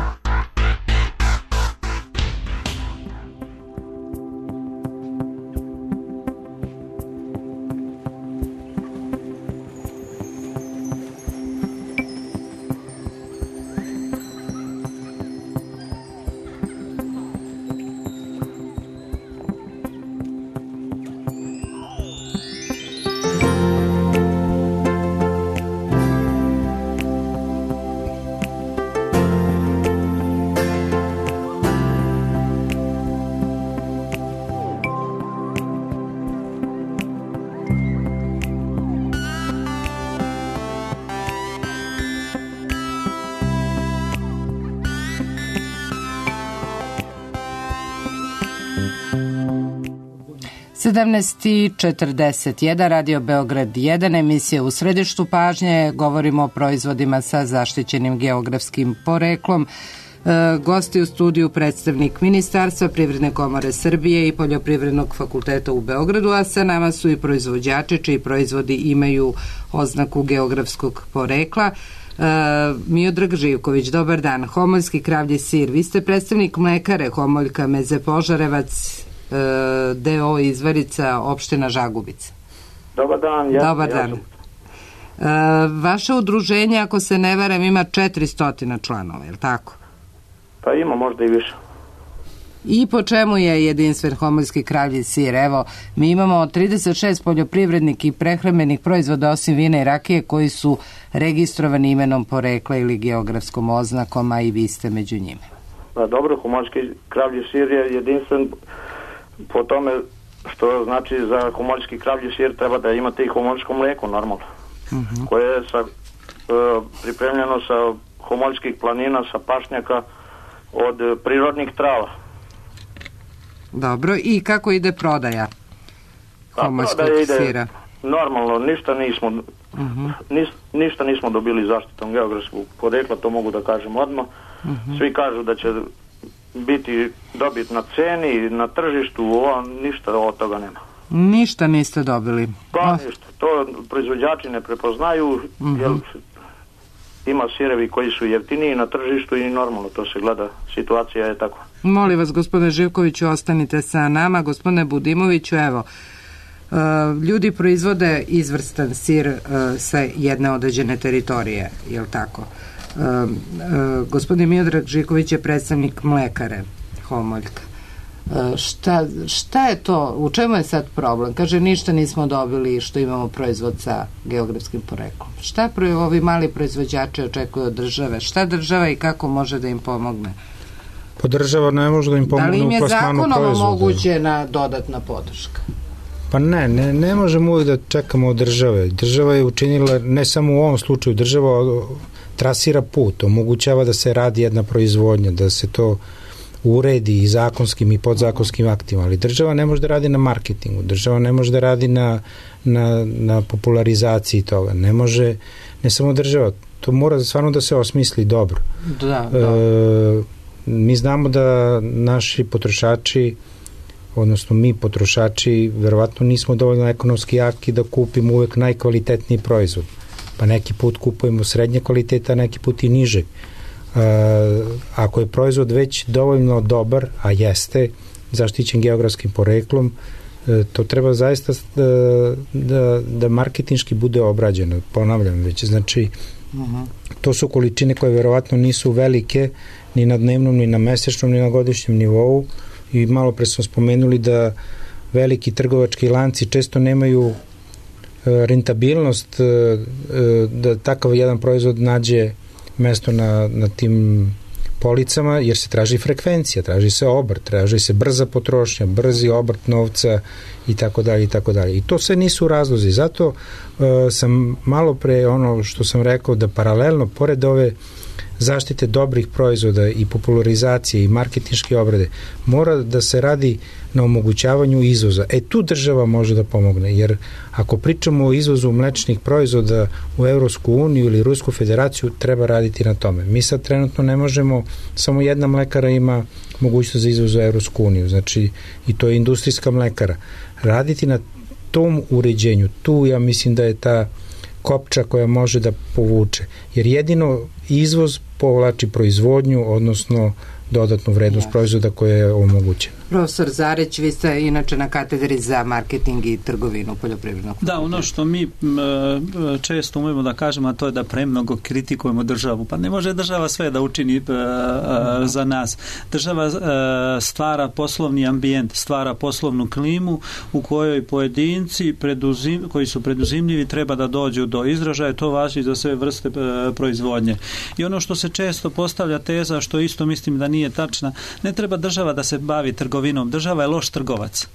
i 41, Radio Beograd 1, emisija U središtu pažnje. Govorimo o proizvodima sa zaštićenim geografskim poreklom. Gosti u studiju predstavnik Ministarstva, Privredne komore Srbije i Poljoprivrednog fakulteta u Beogradu, a sa nama su i proizvođači čiji proizvodi imaju oznaku geografskog porekla. Miodrag Živković, dobar dan. Homoljski kravlji sir, vi ste predstavnik mlekare Homoljka Meze Požarevac, D.O. Izvarica, opština Žagubica. Dobar dan. Dobar dan. Vaše udruženje, ako se ne varam, ima 400 članova, je li tako? Pa ima možda i više. I po čemu je jedinstven homoljski kravlji sir? Evo, mi imamo 36 poljoprivrednih i prehrambenih proizvoda osim vina i rakije koji su registrovani imenom porekla ili geografskom oznakom, a i vi ste među njime. Pa dobro, homoljski kravlji sir je jedinstven po tome što znači za homoljski kravlji sir treba da imate i homoljsko mlijeko normalno, koje je pripremljeno sa homoljskih planina, sa pašnjaka od prirodnih trava. Dobro, i kako ide prodaja homoljskog sira? Normalno, ništa nismo dobili zaštitom geografskog porekla, to mogu da kažem odmah. Svi kažu da će biti dobit na ceni, na tržištu, ništa od toga nema. Ništa niste dobili? Pa ništa, to proizvođači ne prepoznaju, jer ima sirevi koji su jeftiniji na tržištu i normalno to se gleda, situacija je takva. Molim vas, gospodine Živkoviću, ostanite sa nama. Gospodine Budimoviću, evo, ljudi proizvode izvrstan sir sa jedne određene teritorije, je li tako? Gospodin Miodrag Živković je predstavnik mlekare Homoljka. Šta je to, u čemu je sad problem? Kaže, ništa nismo dobili što imamo proizvod sa geografskim poreklom. Šta ovi mali proizvođači očekuju od države? Šta država i kako može da im pomogne? Pa država ne može da im pomogne u plasmanu proizvoda. Da li im je zakonom omogućena dodatna podrška? Pa ne možemo uvijek da čekamo od države. Država je učinila, ne samo u ovom slučaju, država trasira put, omogućava da se radi jedna proizvodnja, da se to uredi i zakonskim i podzakonskim aktima, ali država ne može da radi na marketingu, država ne može da radi na popularizaciji toga, ne samo država, to mora stvarno da se osmisli dobro. Mi znamo da naši potrošači, odnosno mi potrošači, verovatno nismo dovoljno ekonomski jaki da kupimo uvek najkvalitetniji proizvod, pa neki put kupujemo srednje kvaliteta, neki put i niže. Ako je proizvod već dovoljno dobar, a jeste zaštićen geografskim poreklom, to treba zaista da marketinški bude obrađeno, ponavljam već, znači to su količine koje verovatno nisu velike, ni na dnevnom, ni na mesečnom, ni na godišnjem nivou, i malo pre smo spomenuli da veliki trgovački lanci često nemaju rentabilnost da takav jedan proizvod nađe mesto na tim policama, jer se traži frekvencija, traži se obrt, traži se brza potrošnja, brzi obrt novca i tako dalje i tako dalje. I to sve nisu razlozi. Zato sam malo pre ono što sam rekao, da paralelno pored ove zaštite dobrih proizvoda i popularizacije i marketinške obrade mora da se radi na omogućavanju izvoza. Tu država može da pomogne, jer ako pričamo o izvozu mlečnih proizvoda u Evropsku uniju ili Rusku federaciju, treba raditi na tome. Mi sad trenutno ne možemo, samo jedna mlekara ima mogućnost za izvoz u Evropsku uniju, znači i to je industrijska mlekara. Raditi na tom uređenju, tu ja mislim da je ta kopča koja može da povuče, jer jedino izvoz povlači proizvodnju, odnosno dodatnu vrednost proizvoda koja je omogućena. Profesor Zarić, vi ste inače na katedri za marketing i trgovinu poljoprivrednog. Da, ono što mi često umemo da kažemo, a to je da premnogo kritikujemo državu. Pa ne može država sve da učini za nas. Država stvara poslovni ambijent, stvara poslovnu klimu u kojoj pojedinci koji su preduzimljivi treba da dođu do izražaja. To važi za sve vrste proizvodnje. I ono što se često postavlja teza, što isto mislim da nije tačna, ne treba država da se bavi trgovinom. Država je loš trgovac.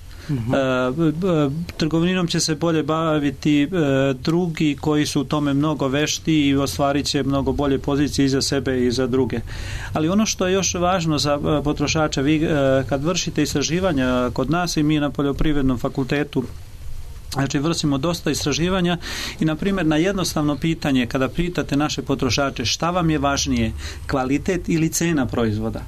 Trgovinom će se bolje baviti drugi koji su u tome mnogo vešti i ostvarit će mnogo bolje pozicije i za sebe i za druge. Ali ono što je još važno za potrošača, vi kad vršite istraživanja kod nas i mi na Poljoprivrednom fakultetu, znači vršimo dosta istraživanja i na primjer na jednostavno pitanje kada pitate naše potrošače šta vam je važnije, kvalitet ili cena proizvoda,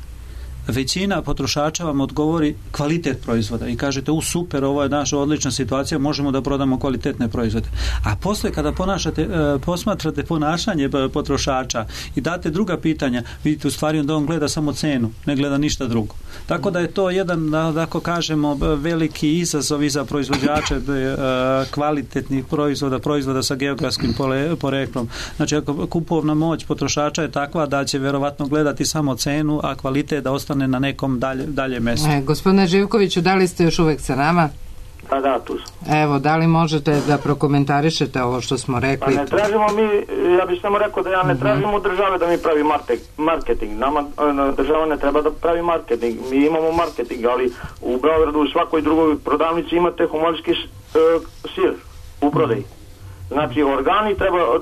većina potrošača vam odgovori kvalitet proizvoda i kažete super, ovo je naša odlična situacija, možemo da prodamo kvalitetne proizvode. A posle kada posmatrate ponašanje potrošača i date druga pitanja, vidite u stvari da on gleda samo cenu, ne gleda ništa drugo. Tako da je to jedan, da kažemo, veliki izazov i za proizvođače kvalitetnih proizvoda sa geografskim poreklom. Znači ako kupovna moć potrošača je takva da će verovatno gledati samo cenu, a kvalitet da ostane na nekom dalje mjestu. Gospodine Živkoviću, da li ste još uvek sa nama? Da, tu sam. Evo, da li možete da prokomentarišete ovo što smo rekli? Pa ne tražimo mi, ja bih samo rekao da ja ne tražim od države da mi pravi marketing. Nama država ne treba da pravi marketing. Mi imamo marketing, ali u Beogradu u svakoj drugoj prodavnici imate homolski sir u prodaji. Znači,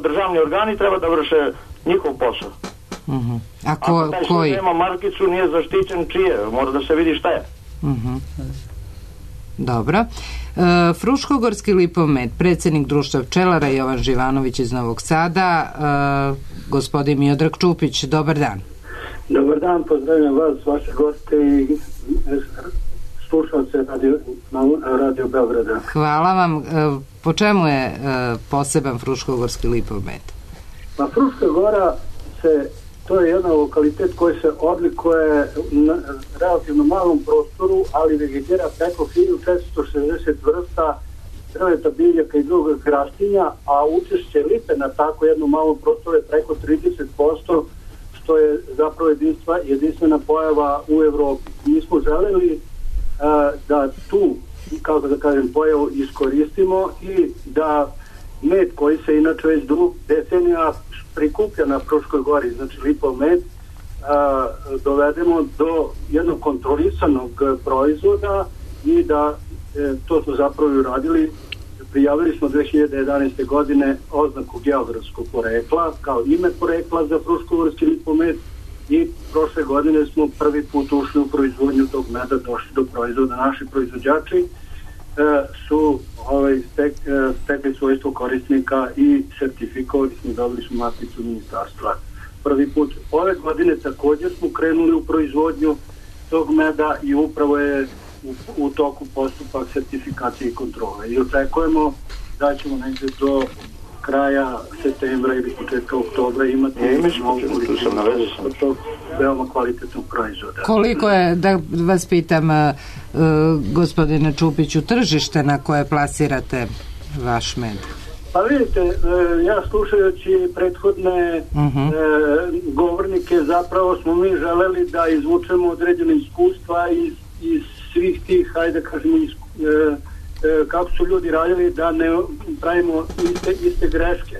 državni organi treba da vrše njihov posao. Ako taj što nema markicu nije zaštićen, čije? Mora da se vidi šta je. Dobro. Fruškogorski lipomed, predsjednik društva pčelara Jovan Živanović iz Novog Sada, gospodin Miodrag Čupić, dobar dan. Dobar dan, pozdravljam vas, vaše goste i slušalce Radio Beograda. Hvala vam. Po čemu je poseban Fruškogorski lipomed? Pa Fruška gora to je jedan lokalitet koji se odlikuje na relativno malom prostoru, ali vegetira preko 1460 vrsta drveta, biljaka i drugog rastinja, a učešće lipe na tako jednom malom prostoru je preko 30%, što je zapravo jedinstvena pojava u Evropi. Mi smo želeli da tu, kako da kažem, pojavu iskoristimo i da med koji se inače već decenija prikuplja na Fruškoj gori, znači lipov med, dovedemo do jednog kontrolisanog proizvoda i da to smo zapravo uradili. Prijavili smo 2011. godine oznaku geografskog porekla kao ime porekla za fruškogorski lipov med i prošle godine smo prvi put ušli u proizvodnju tog meda, došli do proizvoda. Naši proizvođači su stekli svojstvo korisnika i sertifikovali smo, dobili smo markicu ministarstva. Prvi put ove godine također smo krenuli u proizvodnju tog meda i upravo je u toku postupak sertifikacije i kontrole. I očekujemo da ćemo negdje do kraja septembra ili početka oktobra imati veoma kvalitetnog proizvoda. Koliko je, da vas pitam, gospodine Čupiću, tržište na koje plasirate vaš med? Pa vidite, ja slušajući prethodne govornike, zapravo smo mi želeli da izvučemo određene iskustva iz svih tih, hajde kažemo, kako su ljudi radili, da ne pravimo iste greške.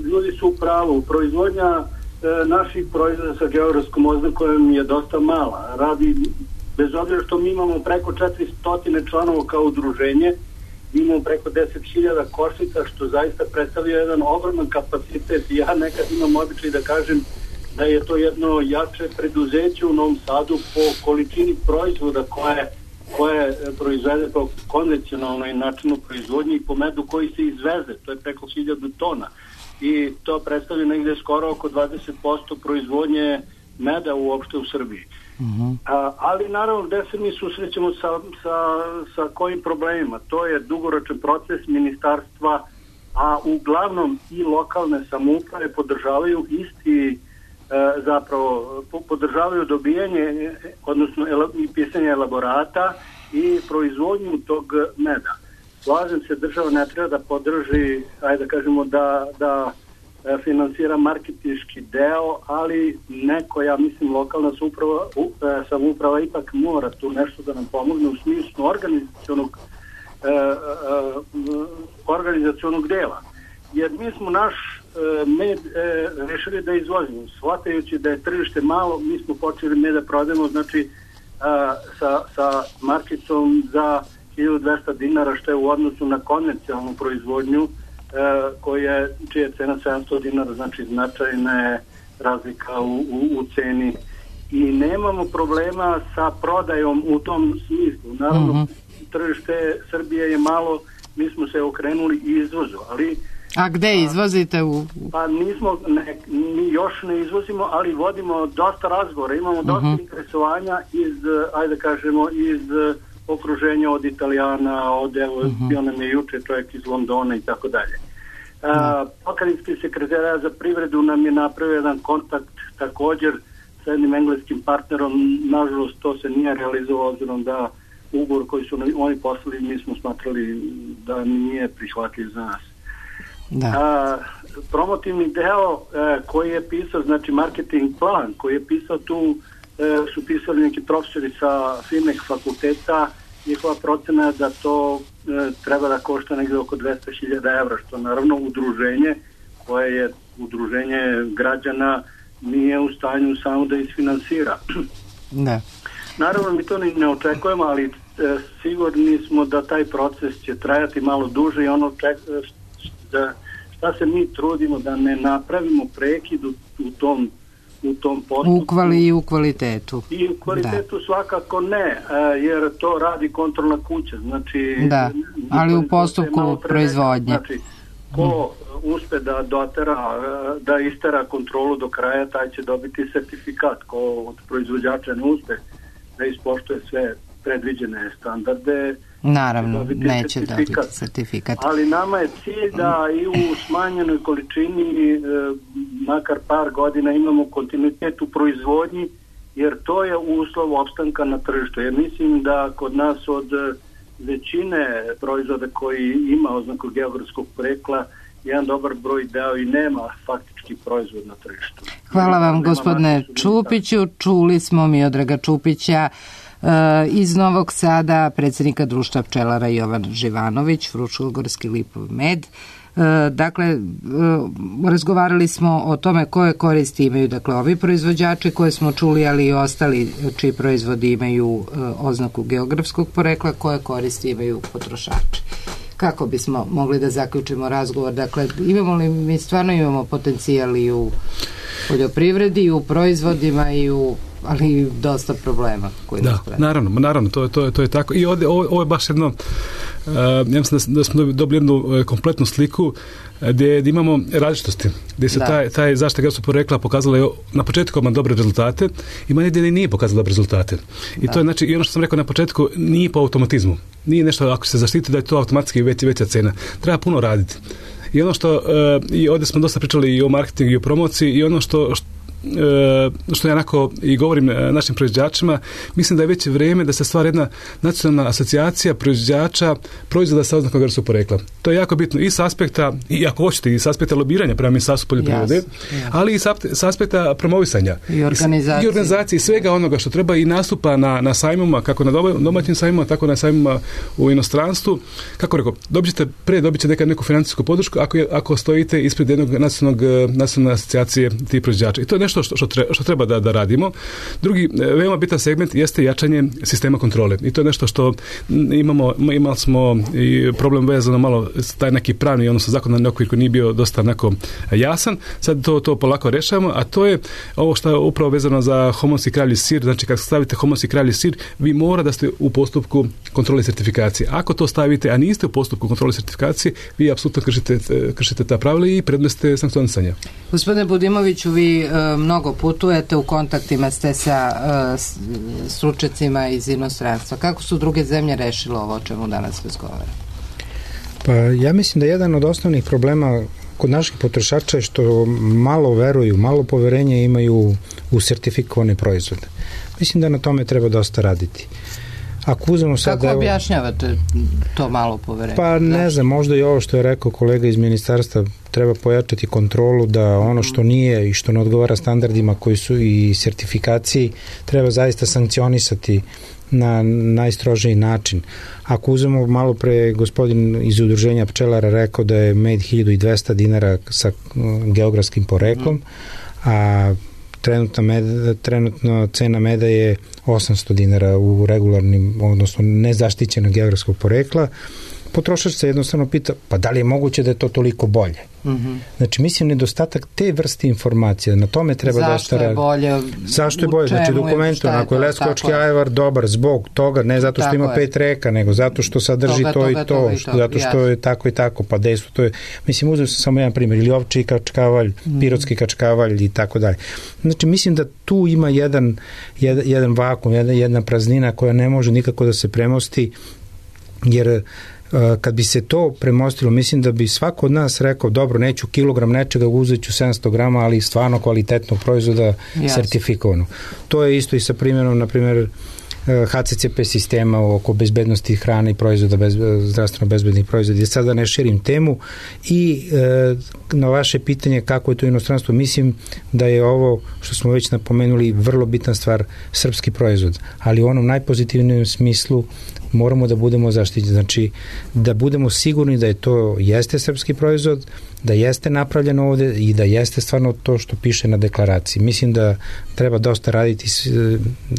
Ljudi su u pravu. Proizvodnja naših proizvoda sa geografskom oznakom je dosta mala. Radi, bez obzira što mi imamo preko 400 članova kao udruženje, imamo preko 10.000 košnica, što zaista predstavlja jedan ogroman kapacitet. Ja nekad imam običaj da kažem da je to jedno jače preduzeće u Novom Sadu po količini proizvoda koje proizvede po konvencionalnoj načinu proizvodnji i po medu koji se izveze. To je preko 1000 tona. I to predstavlja negde skoro oko 20% proizvodnje meda uopšte u Srbiji. Ali naravno gde se mi susrećemo sa kojim problemima? To je dugoročan proces ministarstva, a uglavnom i lokalne samouprave podržavaju podržavaju dobijanje, odnosno i pisanje elaborata i proizvodnju tog meda. Slažem se, država ne treba da podrži, ajde da kažemo da finansira marketinški deo, ali neko, ja mislim, lokalna samouprava ipak mora tu nešto da nam pomogne u smislu organizacionog dela. Jer mi smo naš med rešili da izvozimo. Shvatajući da je tržište malo, mi smo počeli med da prodajemo, znači sa marketom za 1200 dinara, što je u odnosu na konvencionalnu proizvodnju čija je cena 700 dinara, znači značajna je razlika u ceni i nemamo problema sa prodajom u tom smislu. Naravno, tržište Srbije je malo, mi smo se okrenuli izvozu, ali... A gde izvozite? Pa mi još ne izvozimo, ali vodimo dosta razgovora, imamo dosta interesovanja iz okruženja od Italijana, bio nam je juče čovjek iz Londona i tako dalje. Pokrajinski sekretarijat za privredu nam je napravio jedan kontakt također sa jednim engleskim partnerom. Nažalost, to se nije realizovalo, obzirom da ugovor koji su oni poslali, mi smo smatrali da nije prihvatljiv za nas. Promotivni deo koji je pisao, znači marketing plan koji je pisao, tu su pisali neki profesori sa filmeh fakulteta. Njihova procena je da to treba da košta negdje oko 200.000 evra, što naravno udruženje koje je udruženje građana nije u stanju samo da isfinansira. Naravno mi to ne očekujemo, ali sigurni smo da taj proces će trajati malo duže i šta se mi trudimo da ne napravimo prekid u tom postupku. I u kvalitetu. I u kvalitetu svakako ne, jer to radi kontrolna kuća. Znači, ali u postupku proizvodnje. Znači, ko uspe da istera kontrolu do kraja, taj će dobiti sertifikat. Ko od proizvođača ne uspe da ispoštuje sve predviđene standarde, naravno, neće dobiti sertifikat. Ali nama je cilj da i u smanjenoj količini makar par godina imamo kontinuitet u proizvodnji, jer to je uslov opstanka na tržištu. Jer mislim da kod nas od većine proizvoda koji ima oznaku geografskog porekla, jedan dobar broj deo i nema faktički proizvod na tržištu. Hvala vam, gospodine Čupiću. Čuli smo Miodraga Čupića iz Novog Sada, predsjednika društva pčelara Jovan Živanović, Fruškogorski lipov med. Dakle, razgovarali smo o tome koje koristi imaju, dakle, ovi proizvođači koje smo čuli, ali i ostali čiji proizvodi imaju oznaku geografskog porekla, koje koristi imaju potrošači. Kako bismo mogli da zaključimo razgovor? Dakle, mi stvarno imamo potencijal i u poljoprivredi, i u proizvodima, ali dosta problema koji nas prate. Naravno, to je tako. I ovo je baš jedno, ja mislim da smo dobili jednu kompletnu sliku gdje imamo različitosti, gdje se taj zaštita geografskog porekla pokazala na početku ima dobre rezultate, ima negdje nije pokazala dobre rezultate. I to je, znači, i ono što sam rekao na početku, nije po automatizmu. Nije nešto ako se zaštiti da je to automatski veća cena. Treba puno raditi. I ono što, i ovdje smo dosta pričali i o marketingu i o promociji, i ono što što ja onako i govorim našim proizvođačima, mislim da je već vrijeme da se stvara jedna nacionalna asocijacija proizvođača proizvoda sa oznakom geografskog porekla. To je jako bitno i s aspekta, i ako hoćete, i s aspekta lobiranja prema Ministarstvu poljoprivrede, ali i s aspekta promovisanja i organizacije i svega onoga što treba i nastupa na sajmima, kako na domaćim sajmima, tako na sajmima u inostranstvu. Kako rekao, dobit ćete neku financijsku podršku ako stojite ispred jednog nacionalne asocijacije tih proizvođača. I to je nešto što treba da radimo. Drugi veoma bitan segment jeste jačanje sistema kontrole. I to je nešto što imali smo i problem vezano malo taj neki pravni, odnosno zakonodavni okvir koji nije bio dosta onako jasan. Sad to polako rešavamo, a to je ovo što je upravo vezano za homolski kravlji sir. Znači, kad stavite homolski kravlji sir, vi mora da ste u postupku kontrole sertifikacije. Ako to stavite, a niste u postupku kontrole sertifikacije, vi apsolutno kršite ta pravila i predmeste sankcionisanja. Gospodine Budimoviću, vi mnogo putujete, u kontaktima ste sa stručnjacima iz inostranstva. Kako su druge zemlje rešile ovo o čemu danas razgovaramo? Pa ja mislim da jedan od osnovnih problema kod naših potrošača je što malo veruju, malo poverenja imaju u sertifikovane proizvode. Mislim da na tome treba dosta raditi. Kako objašnjavate to malo poverenje? Pa ne znam, možda i ovo što je rekao kolega iz ministarstva, treba pojačati kontrolu da ono što nije i što ne odgovara standardima koji su i sertifikaciji, treba zaista sankcionisati na najstrožiji način. Ako uzmemo malo pre, gospodin iz udruženja pčelara rekao da je med 1200 dinara sa geografskim poreklom, a trenutno cena meda je 800 dinara u regularnim, odnosno nezaštićenog geografskog porekla. Potrošač se jednostavno pita, pa da li je moguće da je to toliko bolje? Znači, mislim, nedostatak te vrste informacija, na tome treba zašto je bolje? Zašto je bolje? Znači, dokumentu, ako je leskovački ajvar dobar zbog toga, ne zato što ima 5 reka, nego zato što sadrži to i to, zato što je tako i tako, pa dejstvo to je. Mislim, uzeo sam samo jedan primjer, ili ovčji kačkavalj, pirotski kačkavalj i tako dalje. Znači, mislim da tu ima jedan vakum, jedna praznina koja ne može nikako da se premosti, jer kad bi se to premostilo, mislim da bi svako od nas rekao, dobro, neću kilogram nečega, uzet ću 700 grama, ali stvarno kvalitetnog proizvoda sertifikovano. To je isto i sa primjerom, na primjer, HCCP sistema oko bezbednosti hrane i proizvoda, zdravstveno bezbednih proizvoda. Ja sada ne širim temu i na vaše pitanje kako je to inostranstvo, mislim da je ovo što smo već napomenuli vrlo bitna stvar, srpski proizvod, ali u onom najpozitivnijem smislu moramo da budemo zaštićeni, znači da budemo sigurni da je to jeste srpski proizvod, da jeste napravljeno ovde i da jeste stvarno to što piše na deklaraciji. Mislim da treba dosta raditi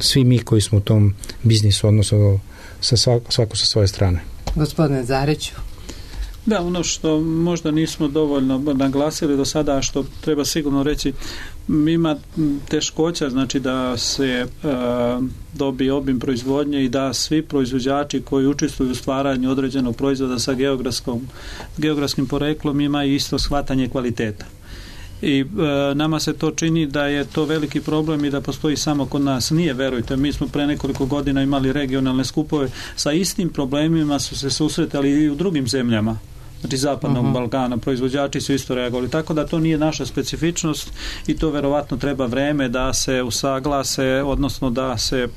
svi mi koji smo u tom biznisu, odnosno svako sa svoje strane. Gospodine Zariću. Da, ono što možda nismo dovoljno naglasili do sada, što treba sigurno reći, ima teškoća, znači da se dobije obim proizvodnje i da svi proizvođači koji učestvuju u stvaranju određenog proizvoda sa geografskim poreklom imaju isto shvatanje kvaliteta. I nama se to čini da je to veliki problem i da postoji samo kod nas. Nije, verujte, mi smo pre nekoliko godina imali regionalne skupove, sa istim problemima su se susretali i u drugim zemljama, znači zapadnog Balkana, proizvođači su isto reagovali, tako da to nije naša specifičnost i to verovatno treba vreme da se usaglase, odnosno da se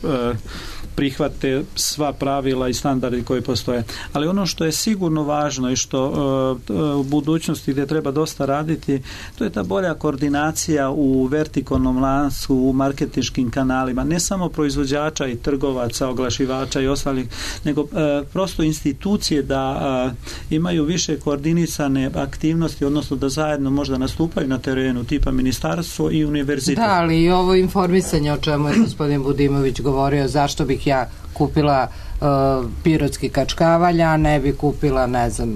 prihvate sva pravila i standardi koji postoje. Ali ono što je sigurno važno i što u budućnosti gdje treba dosta raditi, to je ta bolja koordinacija u vertikalnom lancu, u marketinškim kanalima, ne samo proizvođača i trgovaca, oglašivača i ostalih, nego prosto institucije da imaju više koordinisane aktivnosti, odnosno da zajedno možda nastupaju na terenu, tipa ministarstvo i univerzitet. Da, ali i ovo informisanje o čemu je gospodin Budimović govorio, zašto bih ja kupila pirotski kačkavalj, a ne bi kupila, ne znam,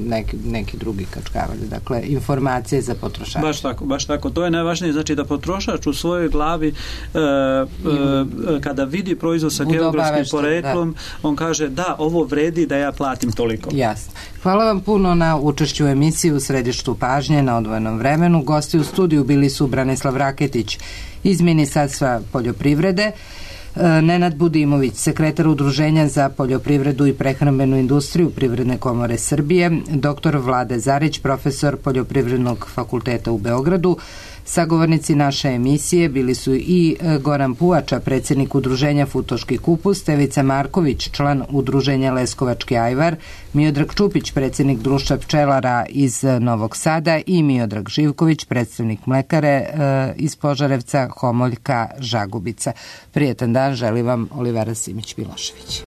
neki drugi kačkavalj. Dakle, informacije za potrošača. Baš tako. To je najvažnije, znači da potrošač u svojoj glavi kada vidi proizvod sa geografskim poreklom, on kaže da, ovo vredi da ja platim toliko. Jasno. Hvala vam puno na učešću u emisiji u središtu pažnje na odvojenom vremenu. Gosti u studiju bili su Branislav Raketić iz Ministarstva poljoprivrede, Nenad Budimović, sekretar Udruženja za poljoprivredu i prehrambenu industriju Privredne komore Srbije, dr. Vlade Zarić, profesor Poljoprivrednog fakulteta u Beogradu, Sagovornici naše emisije bili su i Goran Puvača, predsjednik udruženja Futoški kupus, Stevica Marković, član udruženja Leskovački ajvar, Miodrag Čupić, predsjednik društva pčelara iz Novog Sada i Miodrag Živković, predstavnik mlekare iz Požarevca, Homoljka, Žagubica. Prijetan dan želi vam Olivera Simić-Milošević.